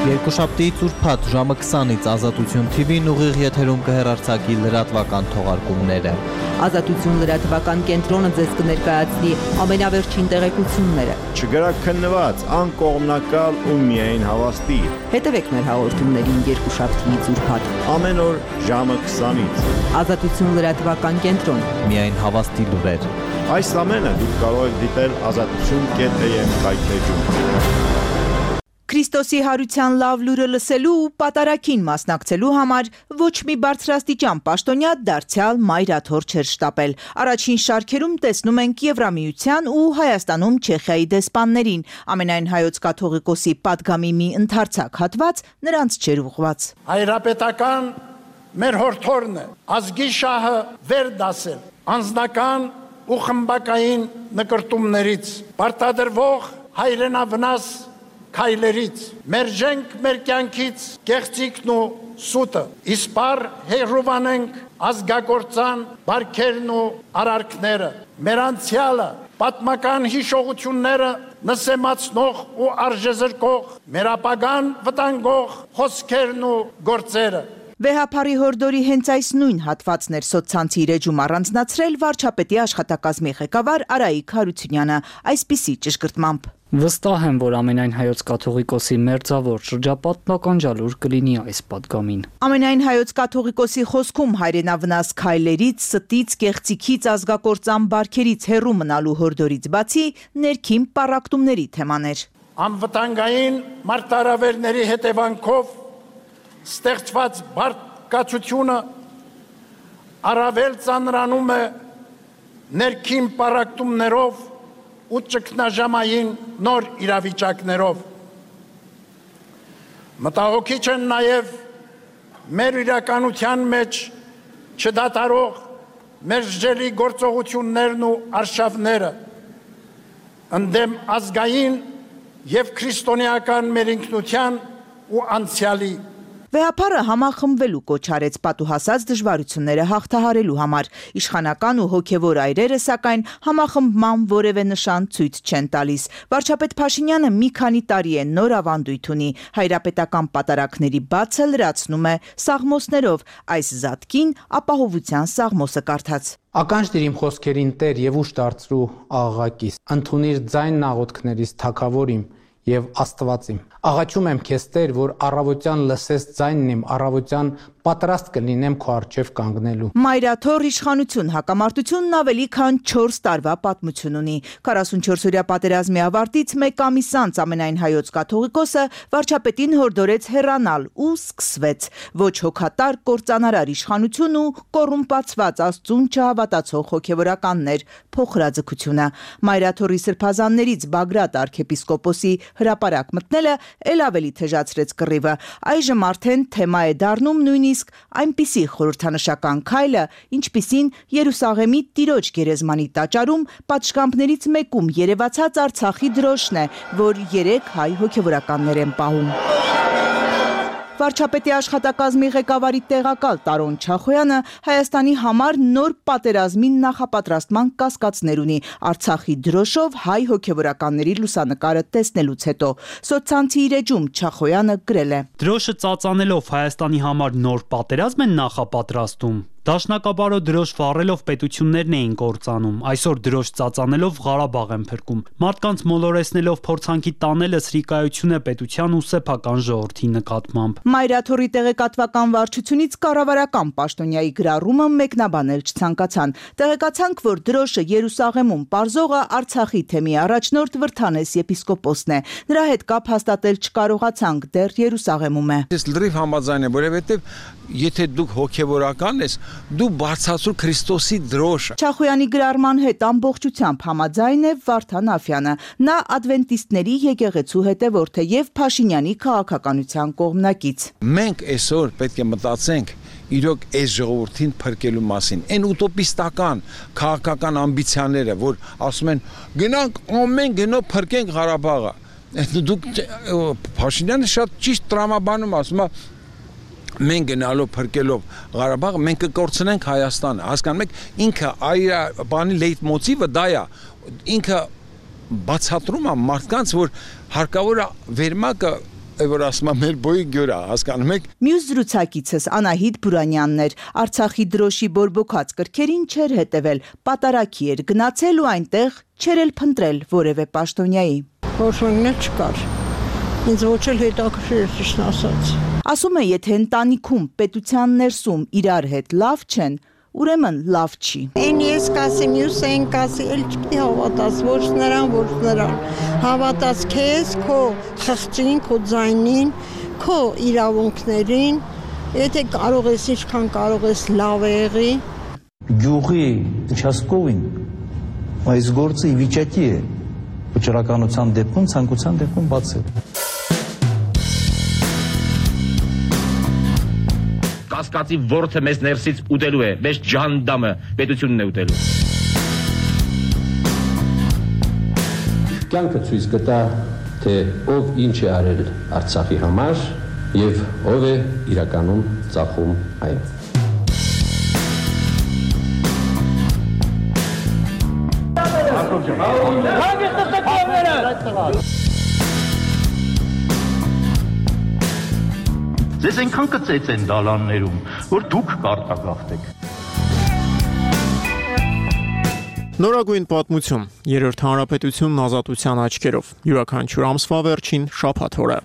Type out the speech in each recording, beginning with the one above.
Երկուշաբթի ծուրփաթ ժամը 20-ից Ազատություն TV-ն ուղիղ եթերում կհեռարձակի լրատվական թողարկումները։ Ազատություն լրատվական կենտրոնը ձեզ կներկայացնի ամենավերջին տեղեկությունները։ Չգրաքննված, անկողմնակալ ու միայն հավաստի։ Հետևեք մեր հաղորդումներին երկուշաբթի ծուրփաթ։ Ամեն օր ժամը 20-ից։ Ազատություն լրատվական կենտրոն։ Միայն հավաստի լուրեր։ Այս ամենը դուք կարող եք դիտել azatutun.am կայքեջում։ Քրիստոսի հարության լավ լուրը լսելու ու պատարագին մասնակցելու համար ոչ մի բարձրաստիճան պաշտոնյա դարձյալ մայրաթոր չէր շտապել։ Առաջին շարքերում տեսնում ենք Եվրամիության ու Հայաստանում Չեխիայի դեսպաններին, ամենայն հայոց կաթողիկոսի պատգամի մի ընդարձակ հատված նրանց չէր ուղղված։ Հայրապետական մեր հորթորն է, ազգի շահը վեր դասել, անձնական ու խմբակային նկրտումներից, պարտադրվող հայրենավնաս քայլերից, մերժենք մեր կյանքից կեղծիքն ու սուտը, իսպար հերովանենք ազգագործան բարքերն ու արարքները, մեր անցյալը, պատմական հիշողությունները նսեմացնող ու արժեզրկող, մեր ապագան վտանգող խոսքերն ու գործերը։ Վեհափարի հորդորի հենց այս նույն հատվածն էր սոցցանցի իր էջում առանձնացրել վարչապետի աշխատակազմի ղեկավար Արայիկ Հարությունյանը, այսպիսի ճշգրտմամբ. Վստահ եմ, որ ամենայն հայոց կաթողիկոսի մերձավոր շրջապատն ականջալուր կլինի այս պատգամին։ Ամենայն հայոց կաթողիկոսի խոսքում հայրենավնաս քայլերից, ստից, կեղծիքից, ազգակործան բարքերից հեռու մնալու հորդորից բացի ներքին պառակտումների թեմաներ։ Անվտանգային մարտահրավերների հետևանքով ստեղծված բարկացությունը առավել ծանրանում է ներքին պառակտումներով ու ճգնաժամային նոր իրավիճակներով։ Մտահոգիչ են նաև մեր իրականության մեջ չդադարող մերժելի գործողություններն ու արշավները ընդդեմ ազգային և քրիստոնեական մեր ինքնության ու անցյալի։ Վեհափարը համախմբվելու կոչ արեց պատուհասած դժվարությունները հաղթահարելու համար։ Իշխանական ու հոգևոր այրերը, սակայն, համախմբման որևէ նշան ցույց չեն տալիս։ Վարչապետ Փաշինյանը մի քանի տարի է նոր ավանդույթ ունի, հայրապետական պատարագների բացը լրացնում է սաղմոսներով, այս զատկին ապահովության սաղմոսը կարդաց։ Ականջ դիր իմ խոսքերին Տեր եւ ուշ դարձրու աղաղակիս, ընդունիր ձայնն աղոթքներիս թագավորիմ եւ Աստվածիմ։ Աղաչում եմ քեզ Տեր, որ առավոտյան լսես ձայնն իմ, առավոտյան պատրաստ կլինեմ քո առջև կանգնելու։ Մայրաթոր իշխանություն հակամարտությունն ավելի քան 4 տարվա պատմություն ունի։ 44-օրյա պատերազմի ավարտից մեկ ամիս անց ամենայն հայոց կաթողիկոսը վարչապետին հորդորեց հեռանալ ու սկսվեց ոչ հոգատար կործանարար իշխանություն ու կոռումպացված Աստծուն չհավատացող հոգևորականներ փոխհրաձգությունը։ Մայրաթորի սրբազաններից Բագրատ arczepiskopos-ի հրապարակ մտնելը էլ ավելի թեժացրեց կռիվը։ Այժմ արդեն թեմա է դառնում նույնիսկ այնպիսի խորհրդանշական քայլը, ինչպիսին Երուսաղեմի Տիրոջ գերեզմանի տաճարում պատշգամբներից մեկում երևացած Արցախի դրոշն է, որ 3 հայ հոգևորականներ են պահում։ Վարչապետի աշխատակազմի ղեկավարի տեղակալ Տարոն Չախոյանը Հայաստանի համար նոր պատերազմի նախապատրաստման կասկածներ ունի Արցախի դրոշով հայ հոգևորականների լուսանկարը տեսնելուց հետո։ Սոցցանցի իր էջում Չախոյանը գրել է. Դրոշը ծածանելով Հայաստանի համար նոր պատերազմ են նախապատրաստում։ Դաշնակաբարո դրոշ վառելով պետություններն էին կործանում, այսօր դրոշ ծածանելով Ղարաբաղ են փրկում։ Մարդկանց մոլորեսնելով փորձանքի տանելը սրիկայություն է պետության ու սեփական ժողովրդի նկատմամբ։ Մայրաթորի տեղեկատվական վարչությունից կառավարական պաշտոնյայի գրառումը մեկնաբանել չցանկացան։ Տեղեկացանք, որ դրոշը Երուսաղեմում պարզողը Արցախի թեմի առաջնորդ Վրթանես եպիսկոպոսն է։ Նրա հետ կապ հաստատել չկարողացանք, դեռ Երուսաղեմում է։ Ես լրիվ համաձայն եմ, որովհետև եթե դուք հոգևորական ես, դու բարձրացրու Քրիստոսի դրոշը։ Չախոյանի գրառման հետ ամբողջությամբ համաձայն է Վարդան Աֆյանը։ Նա ադվենտիստների եկեղեցու հետևորդ է եւ Փաշինյանի քաղաքականության կողմնակից։ Մենք այսօր պետք է մտածենք իրոք այս ժողովրդին փրկելու մասին։ Այն ուտոպիստական քաղաքական ամբիցիաները, որ ասում են գնանք ամեն գնով փրկենք Ղարաբաղը։ Դուք Փաշինյանը շատ ճիշտ տրամաբանում ասում է մենք գնալով փրկելով Ղարաբաղը մենք կկորցնենք Հայաստանը, հասկանում եք, ինքը այ բանի լեյտմոտիվը դա է, ինքը բացատրում է մարդկանց, որ հարկավոր է վերմակը որ ասում եմ մեր բոյի գյուրա, հասկանում եք։ Մյուս զրուցակիցս Անահիտ Բուրանյանն էր, Արցախի դրոշի բորբոքած կրքերին չէր հետևել, պատարակի էր գնացել ու այնտեղ չէր էլ փնտրել որևէ պաշտոնյայի։ Ոչ մեկն էլ չկար։ Ինձ ոչ էլ հետաքրքիր էր ճիշտն ասած։ Ասում է, եթե ընտանիքում պետության ներսում իրար հետ լավ չեն, ուրեմն լավ չի։ Այն ես կասի, մյուս այն կասի, էլ չպետք է հավատաս, ոչ նրան, հավատաս քեզ, քո խղճին, քո ձայնին, քո իրավունքներին, եթե կարող ես, ինչքան կարող ես լավ եղի։ Գյուղի участковին այս գործը ի վիճակի է վճռականության դեպքում, ցանկության դեպքում բացել։ Կասկածի ворթը մեզ ներսից ուտելու է, մեզ ջանդամը պետությունն է ուտելու։ Կյանքը ցույց կտա, թե ով ինչ է արել Արցախի համար եւ ով է իրականում ծախում այն։ Ձեզ այնքան կծեց են դալաններում, որ դուք կարտագաղթեք։ Նորագույն պատմություն, երրորդ հանրապետությունն ազատության աչքերով, յուրաքանչյուր ամսվա վերջին շաբաթ օրը։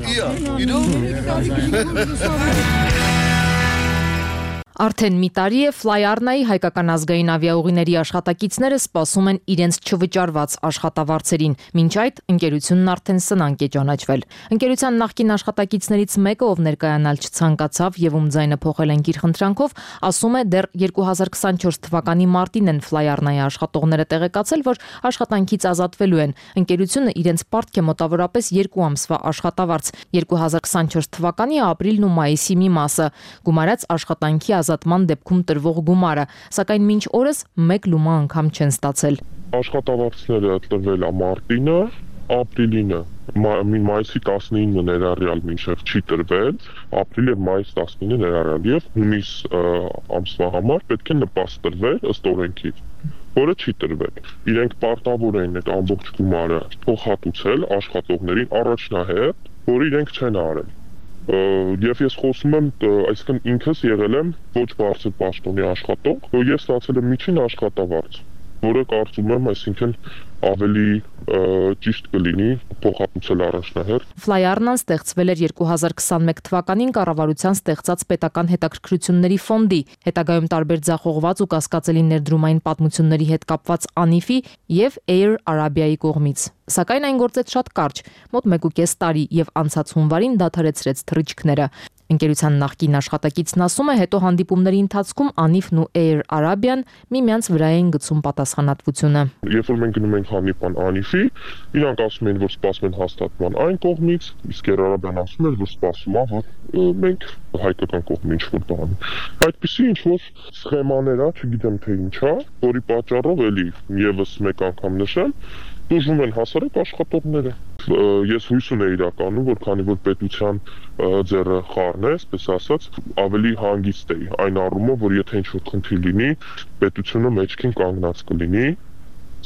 Արդեն մի տարի է Ֆլայարնայի հայկական ազգային ավիաուղիների աշխատակիցները սպասում են իրենց չվճարված աշխատավարձերին։ Մինչ այդ ընկերությունն արդեն սնանկ է ճանաչվել։ Ընկերության նախկին աշխատակիցներից մեկը, ով ներկայանալ չցանկացավ եւ ում ձայնը փոխել են իր խնդրանքով, ասում է, դեռ 2024 թվականի մարտին են Ֆլայարնայի աշխատողները տեղեկացել, որ աշխատանքից ազատվելու են։ Ընկերությունը իրենց պարտք է մոտավորապես 2 ամսվա աշխատավարձ, 2024 թվականի ապրիլն ու մայիսի մի մասը, գումարած աշխատանքի ազատման դեպքում տրվող գումարը, սակայն մինչ օրս մեկ լումա անգամ չեն ստացել։ Աշխատավարձները տրվել է մարտինը, ապրիլինը, մայիսի 19-ը ներառյալ մինչև չի տրվել, ապրիլ եւ մայիս 19-ը ներառյալ եւ հունիս ամսվա համար պետք է նպաստ տրվել ըստ օրենքի, որը չի տրվել։ Իրենք պարտավոր են այդ ամբողջ գումարը փոխհատուցել աշխատողներին առաջնահերթ, որը իրենք չեն արել։ Եվ ես խոսում եմ, այսինքն ինքս եղել եմ ոչ բարձր պաշտոնի աշխատող, ես ստացել եմ միջին աշխատավարձ, որը կարծում եմ, այսինքն ավելի ճիշտ կլինի փոխհատուցել առաջնահերթ։ Ֆլայարնան ստեղծվել էր 2021 թվականին կառավարության ստեղծած պետական հետաքրքրությունների ֆոնդի, հետագայում տարբեր ձախողված ու կասկածելի ներդրումային պատմությունների հետ կապված ANIF-ի եւ Air Arabia-ի կողմից։ Սակայն այն գործեց շատ կարճ, մոտ 1.5 տարի եւ անցած հունվարին դադարեցրեց թռիչքները։ Ընկերության նախկին աշխատակիցն ասում է, հետո հանդիպումների ընթացքում ANIF-ն ու Air Arabia-ն միմյանց վրա են գցում պատասխանատվությունը։ Երբ որ մենք գնում ենք հանդիպան ANIF-ի, իրանք ասում են, որ սպասում են հաստատման այն կողմից, իսկ Air Arabia-ն ասում է, որ սպասում է, որ մենք հայկական կողմը ինչ-որ բան։ Այդպիսի ինչ-որ սխեմաներ է, չգիտեմ թե ինչ է, որի պատճառով էլի եւս մեկ անգամ նշեմ, դժում են հասարակ աշխատողները։ Ես հույս ունեի իրականում, որ քանի որ պետության ձեռը խառն է, այսպես ասած, ավելի հանգիստ էի այն առումով, որ եթե ինչ-որ խնդիր լինի, պետությունը մեջքին կանգնած կլինի,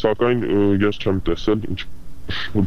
սակայն ես չեմ տեսել ինչ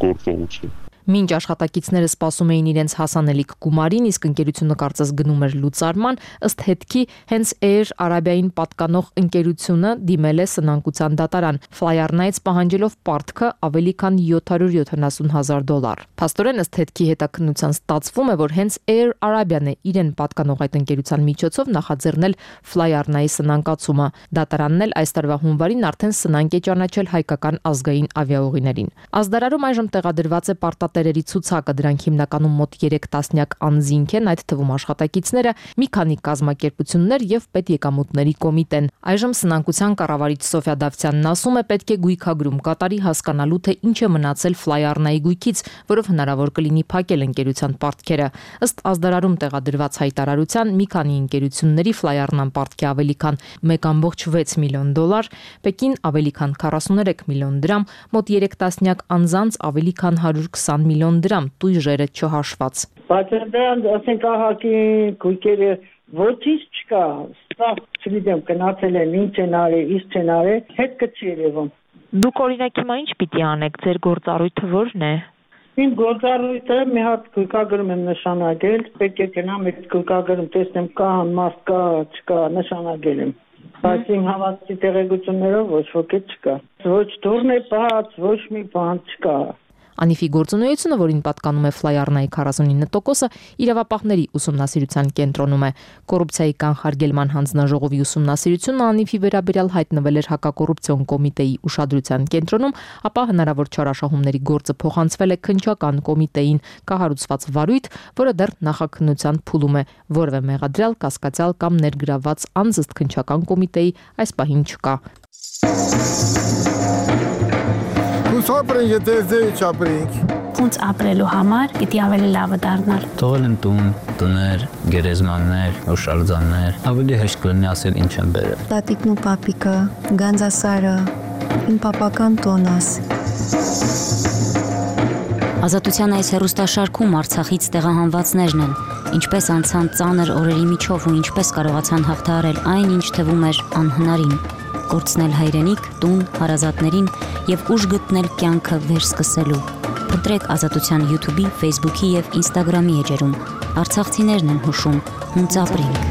գործողություն։ Մինչ աշխատակիցները սպասում էին իրենց հասանելիք գումարին, իսկ ընկերությունը կարծես գնում էր լուծարման, ըստ հետքի հենց Air Arabia-ին պատկանող ընկերությունը դիմել է սնանկության դատարան, Ֆլայարնայից պահանջելով պարտքը ավելի քան $770,000։ Փաստորեն ըստ հետքի հետաքննության ստացվում է, որ հենց Air Arabia-ն է իրեն պատկանող այդ ընկերության միջոցով նախաձեռնել Ֆլայարնայի սնանկացումը։ Դատարանն էլ այս տարվա հունվարին արդեն սնանկ է ճանաչել հայկական ազգային ավիաուղիներին։ Ազդարարում այժմ տեղադրված է պարտատերերի ցուցակը, դրանք հիմնականում մոտ 3 տասնյակ անձինք են, այդ թվում աշխատակիցները, մի քանի կազմակերպություններ եւ պետեկամուտների կոմիտեն։ Այժմ սնանկության կառավարիչ Սոֆիա Դավթյանն ասում է, պետք է գույքագրում կատարի հասկանալու, թե ինչ է մնացել Ֆլայարնայի գույքից, որով հնարավոր կլինի փակել ընկերության պարտքերը։ Ըստ ազդարարում տեղադրված հայտարարության, մի քանի ընկերությունների Ֆլայարնան պարտքի ավելի քան $1.6 միլիոն, Պեկին ավելի քան 43 միլիոն դրամ, մոտ 3 տասնյակ անձանց ավելի քան 120 միլիոն դրամ, տույժերը չհաշված։ Բայց դրան ասենք ահագի գույքերը ոչինչ չկա, սա չգիտեմ գնացել են, ինչ են արել, ինչ են արել, հետ կչի երևում։ Դուք օրինակ հիմա ինչ պիտի անեք, ձեր գործառույթը ո՞րն է։ Իմ գործառույթը մի հատ գլխագրում եմ նշանակել, պետք է գնամ այդ գլխագրում տեսնեմ կա մարդ կա, չկա, նշանակել եմ։ Բայց իմ հավատքի տեղեկություններով ոչ ոքի չկա։ Ոչ դուրն է բաց, ոչ մի բան չկա։ Անիֆի գործունեությունը, որին պատկանում է Ֆլայառնայի 49%-ը, իրավապահների ուսումնասիրության կենտրոնում է։ Կոռուպցիայի կանխարգելման հանձնաժողովի ուսումնասիրությունը Անիֆի վերաբերյալ հայտնվել էր հակակոռուպցիոն կոմիտեի ուշադրության կենտրոնում, ապա հնարավոր չարաշահումների գործը փոխանցվել է քննչական կոմիտեին, կահարուցված վարույթ, որը դեռ նախաքննության փուլում է, որևէ մեղադրյալ, կասկածյալ կամ ներգրավված անձ քննչական կոմիտեի այս պահին չկա։ Ապրենք, եթե ձեի չապրենք։ Ոնց ապրելու համար պիտի ավելի լավը դառնալ։ Թողել եմ տուն, տներ, գերեզմաններ, հուշարձաններ, ավելի հեշտ կլինի ասել ինչ եմ բերել։ Տատիկն ու պապիկը, Գանձասարը, իմ պապական տոնս։ Ազատության այս հեռուստաշարքում Արցախից տեղահանվածներն են, ինչպես անցան ծանր օրերի միջով ու ինչպես կարողացան հաղթահարել այն, ինչ թվում էր անհնարին։ Կորցնել հայրենիք, տուն, հարազատներին եւ ուժ գտնել կյանքը վերսկսելու։ Փնտրեք Ազատության YouTube-ի, Facebook-ի եւ Instagram-ի էջերում։ Արցախցիներն են հուշում, հունց ապրենք։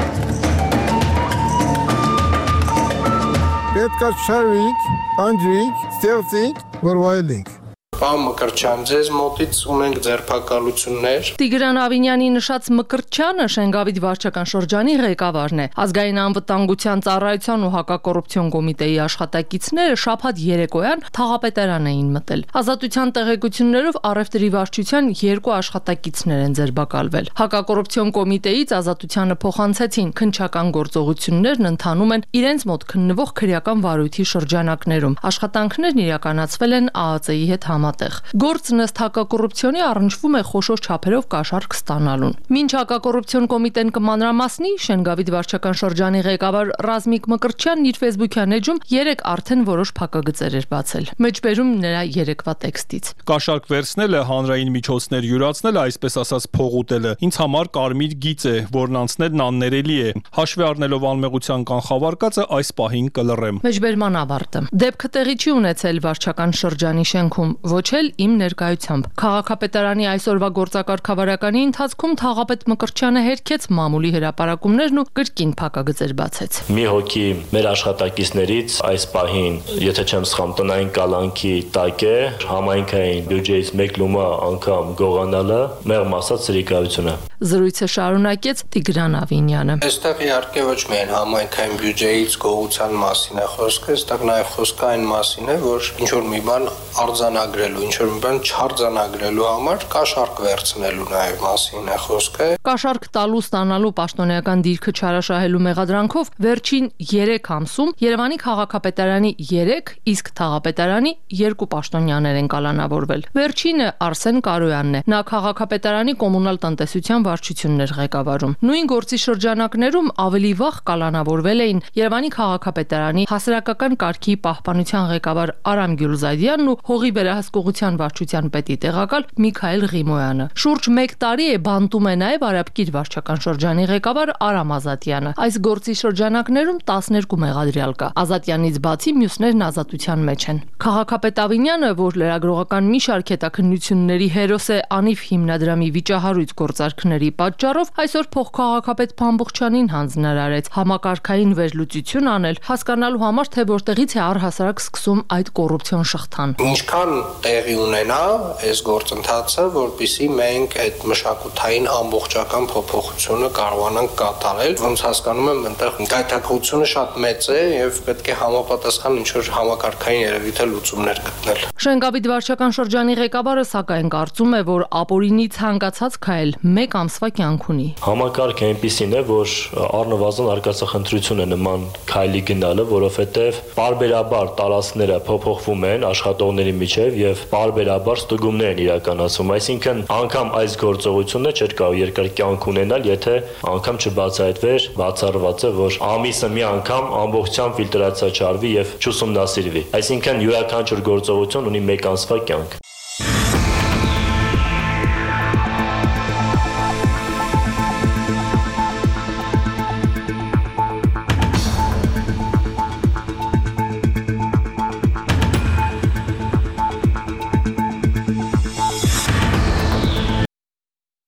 Պետք է շարվենք, անջրենք, ստեղծենք, որ վայելենք։ Պարոն Մկրտչյան, ձեզ մոտից ունենք ձերբակալություններ։ Տիգրան Ավինյանի նշած Մկրտչյանը Շենգավիթ վարչական շրջանի ղեկավարն է։ Ազգային անվտանգության ծառայության ու հակակոռուպցիոն կոմիտեի աշխատակիցները շաբաթ երեկոյան Թաղապետարան էին մտել։ Ազատության տեղեկություններով առևտրի վարչության 2 աշխատակիցներ են ձերբակալվել։ Հակակոռուպցիոն կոմիտեից Ազատությանը փոխանցեցին քննչական գործողություններն ընթանում են իրենց մոտ քննվող քրեական վարույթի շրջանակներում։ Աշխատանքներն իրականացվել են ԱԱԾ-ի հետ Գործն ըստ հակակոռուպցիոնի առնչվում է խոշոր չափերով կաշառք ստանալուն։ Մինչ հակակոռուպցիոն կոմիտեն կմանրամասնի, Շենգավիթ վարչական շրջանի ղեկավար Ռազմիկ Մկրտչյանն իր Facebook-յան էջում 3 արդեն որոշ փակագծեր էր բացել։ Մեջբերում նրա երեկվա տեքստից։ Կաշառք վերցնելը, հանրային միջոցներ յուրացնելը, այսպես ասած փողուտելը, ինձ համար կարմիր գիծ է, որն անցնելն աններելի է։ Հաշվի առնելով անմեղության կանխավարկածը այս պահին կլռեմ։ Մեջբերման ավարտը։ Դեպքը տեղի չի ունեցել վարչական շրջանի շենքում, ոչ էլ իմ ներկայությամբ։ Քաղաքապետարանի այսօրվա գործակարգավարականի ընթացքում Թաղապետ Մկրտչյանը հերքեց մամուլի հրապարակումներն ու կրկին փակագծեր բացեց։ Մի հոգի մեր աշխատակիցներից այս պահին, եթե չեմ սխամ, տնային կալանքի տակ է, համայնքային բյուջեից 1 լումա անգամ գողանալը մեղմ ասած սրիկայություն է։ Զրույցը շարունակեց Տիգրան Ավինյանը։ Այստեղ իհարկե ոչ միայն համայնքային բյուջեից գողության մասին է խոսքը, այստեղ նաև խոսքը այն մասին է, որ ինչ որ մի բան արձանագրելու, ինչ որ մի բան չարձանագրելու համար կաշառք վերցնելու նաև մասին է խոսքը։ Կաշառք տալու ստանալու պաշտոնեական դիրքը չարաշահելու մեղադրանքով վերջին 3 ամսում Երևանի քաղաքապետարանի 3, իսկ Թաղապետարանի 2 պաշտոնյաներ են կալանավորվել։ Վերջինը Արսեն Կարոյանն է։ Նա քաղաքապետարանի կոմունալ տնտեսության վարչություններ ղեկավարում։ Նույն գործի շրջանակներում ավելի վաղ կալանավորվել էին Երևանի քաղաքապետարանի հասարակական կարգի պահպանության ղեկավար Արամ Գյուլզադյանն ու հողի վերահսկողության վարչության պետի տեղակալ Միքայել Ղիմոյանը։ Շուրջ 1 տարի է բանտում է նաև Արաբկիր վարչական շրջանի ղեկավար Արամ Ազատյանը։ Այս գործի շրջանակներում 12 մեղադրյալ կա։ Ազատյանից բացի մյուսներն ազատության մեջ են։ Քաղաքապետ Ավինյանը, որ լրագրողական մի շարք հետաքննությունների հերոս է Անիվ հիմնադրամի վիճահարույց գործարքների պատճառով, այսօր փոխքաղաքապետ Փամբուխչյանին հանձնարարեց համակարգային վերլուծություն անել, հասկանալու համար, թե որտեղից է առհասարակ սկսում այդ կոռուպցիոն շղթան։ Ինչքան տեղի ունենա այս գործընթացը, որպեսզի մենք այդ մշակութային ամբողջական փոփոխությունը կարողանանք կատարել, ոնց հասկանում եմ, այնտեղ գայթակղությունը շատ մեծ է եւ պետք է համապատասխան ինչ-որ համակարգային երևի թե լուծումներ գտնել։ Շենգավիթ վարչական շրջանի ղեկավարը սակայն կարծում է, որ ապօրինի ցանկացած քայլ 1 ամսվա կյանք ունի։ Համակարգը այնպիսին է, որ առնվազն արկածախնդրություն է նման քայլի գնալը, որովհետև պարբերաբար տարածքները փոփոխվում են աշխատողների միջև եւ պարբերաբար ստուգումներ են իրականացվում, այսինքն անգամ այս գործողությունը չէր կարող երկար կյանք ունենալ, եթե անգամ չբացահայտվեր բացառվածը, որ ամիսը մի անգամ ամբողջությամբ ֆիլտրացիա չարվի եւ չուսումնասիրվի։ Այսինքն յուրաքանչյուր գործողություն ունի 1 ամսվա կյանք։